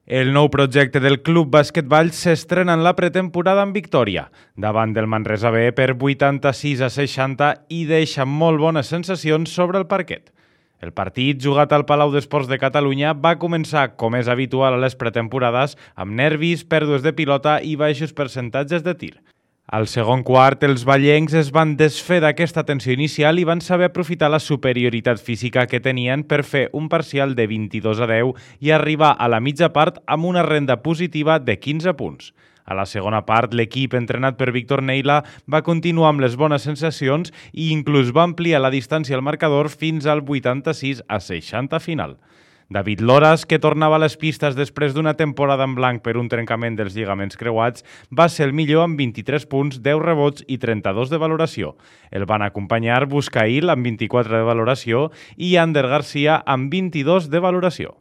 El nou projecte del Club Basquetball s'estrena en la pretemporada amb victòria, davant del Manresa B per 86-60 i deixa molt bones sensacions sobre el parquet. El partit, jugat al Palau d'Esports de Catalunya, va començar, com és habitual a les pretemporades, amb nervis, pèrdues de pilota i baixos percentatges de tir. Al segon quart, els ballencs es van desfer d'aquesta tensió inicial i van saber aprofitar la superioritat física que tenien per fer un parcial de 22-10 i arribar a la mitja part amb una renda positiva de 15 punts. A la segona part, l'equip entrenat per Víctor Neila va continuar amb les bones sensacions i inclús va ampliar la distància al marcador fins al 86-60 final. David Loras, que tornava a les pistes després d'una temporada en blanc per un trencament dels lligaments creuats, va ser el millor amb 23 punts, 10 rebots i 32 de valoració. El van acompanyar Buscail amb 24 de valoració i Ander Garcia amb 22 de valoració.